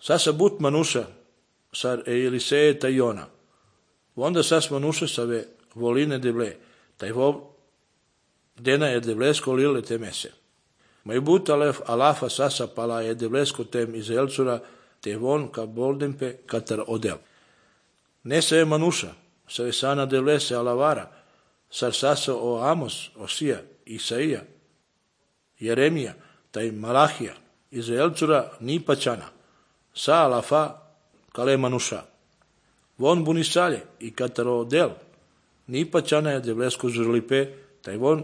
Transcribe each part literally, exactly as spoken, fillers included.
Sasa but manuša, sar Eliseje ta Iona. Onda sas manuša save voline devle, taj vov dena je devlesko lile temese. Mai but alef alafa sasa pala je devlesko tem Izraelcura, te von ka boldempe katar odel. Nesa je manuša, save sana devlese alavara, sar sasa o Amos, Osija, Isaija, Jeremija, taj Malahija, Izraelcura ni pačana, sa alafa kale manuša. Von bunisalje i kataro del, ni pačana je devlesko žurlipe, taj von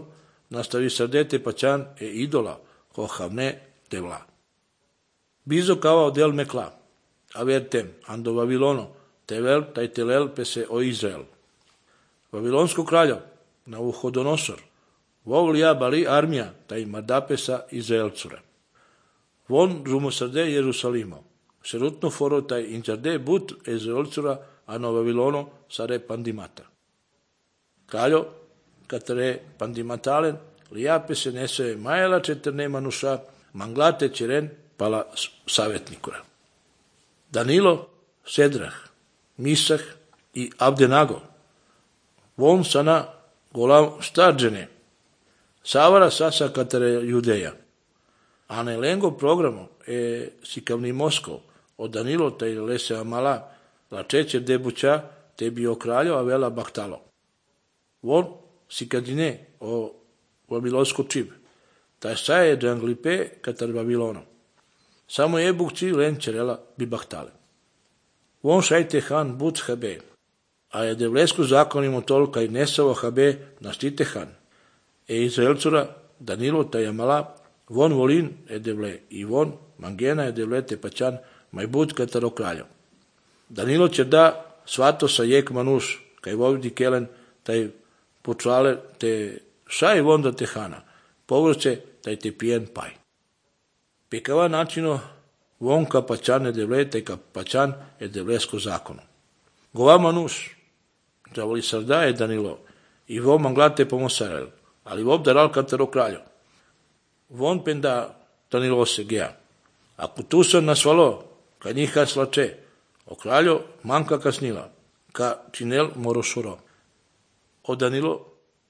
nastavi sardete pačan e idola, ko havne devla. Bizo kao del mekla, a vertem, ando Vavilono, tevel taj telel pese o Izrael. Vavilonsko kraljo, Navuhodonosor, vovlija bali armija, taj mardapesa Izraelcura. Von žumo srde Jerusalimo, šerutno foro taj inčarde but Izraelcura, ano Vavilono sare pandimata. Kraljo, katare pandimatalen, lijape se nese majela četerne manuša, manglate čeren pala savjetnikura. Danilo, Sedrah, Misah i Abdenago, von sana golav starđene, savara sasa katare judeja. A ne lengo programo e sikavni Moskov, od Danilo taj lese amala, la čeće debuća, te bio kraljo, a vela bahtalo. Von sikadine o Vavilonsko čib, taj saje džanglipe katar Vavilono. Samo je bukci len čerela bi bahtale. Von šajte han but habe, a je devlesku zakonimo tolka i nesavo habe naštite han. E Izraelcura Danilo taj amala, von volin je devle i von mangena je devle te pačan maj but kataro kraljo. Danilo će da svato sa jek manuš, kaj vovdi kelen taj počale te šaj vonda te hana, povrće taj te pijen paj. Pikava načino von ka pačan je devle, taj ka pačan je devlesko zakono. Gova manuš, džavoli sarda je Danilo, i vo manglate pomosarel, ali vov daral kataro kraljo. Von penda Danilo se geja. Ako tu sam nasvalo, ka njiha slače, o kraljo manka kasnila, ka činel morošuro. O Danilo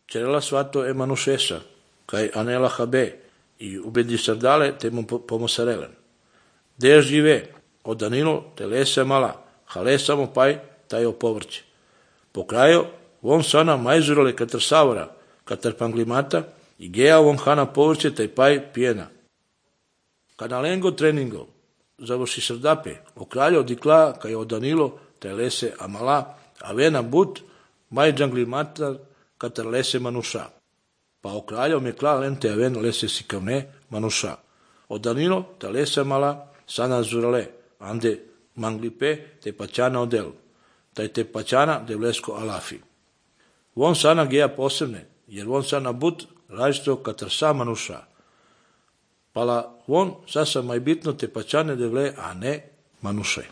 čerela svato e manušesa, kaj anela habe, i ubedi sardale te mu pomosarelen. Deš žive, o Danilo te lese mala, hale samo paj, taj o povrće. Po kraju, von sana majzurale katar savara, katar panglimata, i geja von hana povrće, taj paj pijena. Kada lengo treningo, završi srdape, o kraljo dikla, kaj o Danilo, taj lese amala, a vena but, maj džanglimata, katar lese manuša. Pa o kraljo me kla lente aven lese sikavne manuša. O Danilo, ta lese mala, sana zurale, ande manglipe, te pačana odel, taj te pačana devlesko alafi. Von sana geja posebne, jer von sana but, različito katar sa manuša. Pala von sasa maj bitno te pačane devle, a ne manuše.